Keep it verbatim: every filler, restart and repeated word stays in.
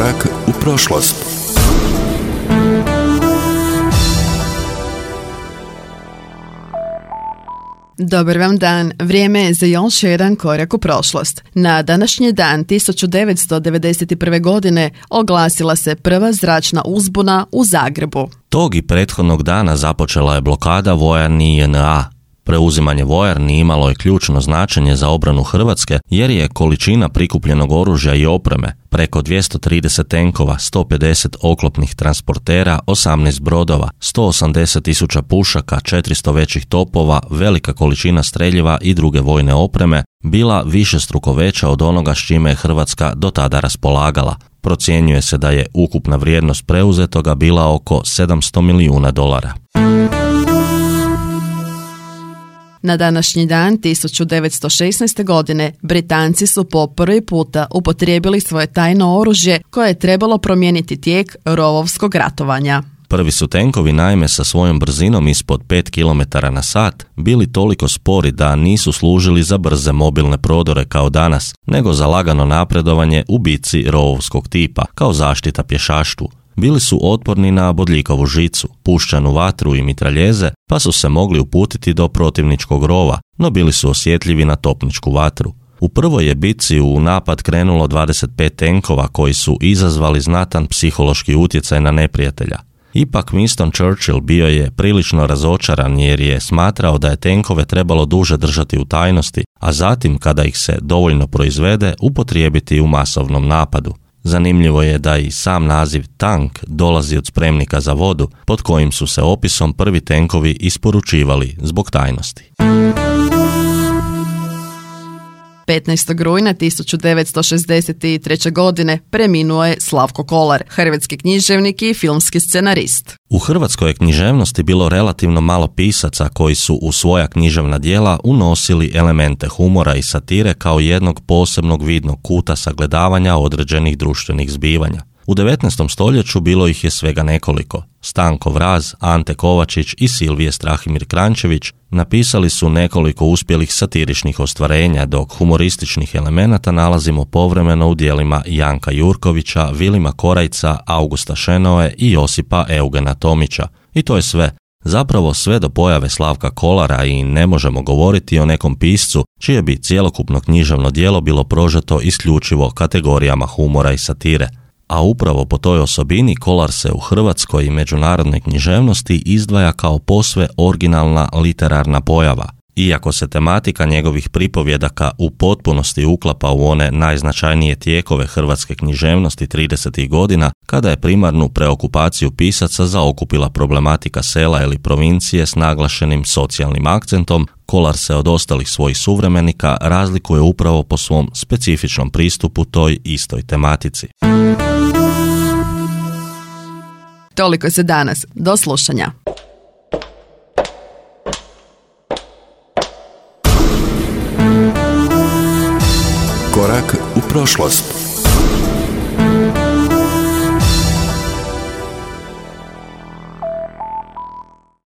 Korak u prošlost. Dobar vam dan, vrijeme je za još jedan korak u prošlost. Na današnji dan tisuću devetsto devedeset prve. godine oglasila se prva zračna uzbuna u Zagrebu. Tog i prethodnog dana započela je blokada vojarni J N A. Preuzimanje vojarni imalo je ključno značenje za obranu Hrvatske jer je količina prikupljenog oružja i opreme, preko dvjesto trideset tenkova, sto pedeset oklopnih transportera, osamnaest brodova, sto osamdeset tisuća pušaka, četiristo većih topova, velika količina streljiva i druge vojne opreme, bila višestruko veća od onoga s čime je Hrvatska do tada raspolagala. Procjenjuje se da je ukupna vrijednost preuzetoga bila oko sedamsto milijuna dolara. Na današnji dan tisuću devetsto šesnaeste. godine Britanci su po prvi puta upotrijebili svoje tajno oružje koje je trebalo promijeniti tijek rovovskog ratovanja. Prvi su tenkovi naime sa svojom brzinom ispod pet kilometara na sat bili toliko spori da nisu služili za brze mobilne prodore kao danas, nego za lagano napredovanje u bitci rovovskog tipa, kao zaštita pješaštvu. Bili su otporni na bodljikovu žicu, puščanu vatru i mitraljeze, pa su se mogli uputiti do protivničkog rova, no bili su osjetljivi na topničku vatru. U prvoj je bitci u napad krenulo dvadeset pet tenkova koji su izazvali znatan psihološki utjecaj na neprijatelja. Ipak Winston Churchill bio je prilično razočaran jer je smatrao da je tenkove trebalo duže držati u tajnosti, a zatim, kada ih se dovoljno proizvede, upotrijebiti u masovnom napadu. Zanimljivo je da i sam naziv tank dolazi od spremnika za vodu, pod kojim su se opisom prvi tenkovi isporučivali zbog tajnosti. petnaestog rujna tisuću devetsto šezdeset treće. godine preminuo je Slavko Kolar, hrvatski književnik i filmski scenarist. U hrvatskoj je književnosti bilo relativno malo pisaca koji su u svoja književna djela unosili elemente humora i satire kao jednog posebnog vidnog kuta sagledavanja određenih društvenih zbivanja. U devetnaestom stoljeću bilo ih je svega nekoliko. Stanko Vraz, Ante Kovačić i Silvije Strahimir Kranjčević napisali su nekoliko uspjelih satiričnih ostvarenja, dok humorističnih elemenata nalazimo povremeno u djelima Janka Jurkovića, Vilima Korajca, Augusta Šenoe i Josipa Eugena Tomića. I to je sve. Zapravo sve do pojave Slavka Kolara i ne možemo govoriti o nekom piscu čije bi cjelokupno književno djelo bilo prožeto isključivo kategorijama humora i satire. A upravo po toj osobini Kolar se u hrvatskoj i međunarodnoj književnosti izdvaja kao posve originalna literarna pojava. Iako se tematika njegovih pripovjedaka u potpunosti uklapa u one najznačajnije tijekove hrvatske književnosti tridesetih godina, kada je primarnu preokupaciju pisaca zaokupila problematika sela ili provincije s naglašenim socijalnim akcentom, Kolar se od ostalih svojih suvremenika razlikuje upravo po svom specifičnom pristupu toj istoj tematici. Toliko se danas. Do slušanja. Korak u prošlost.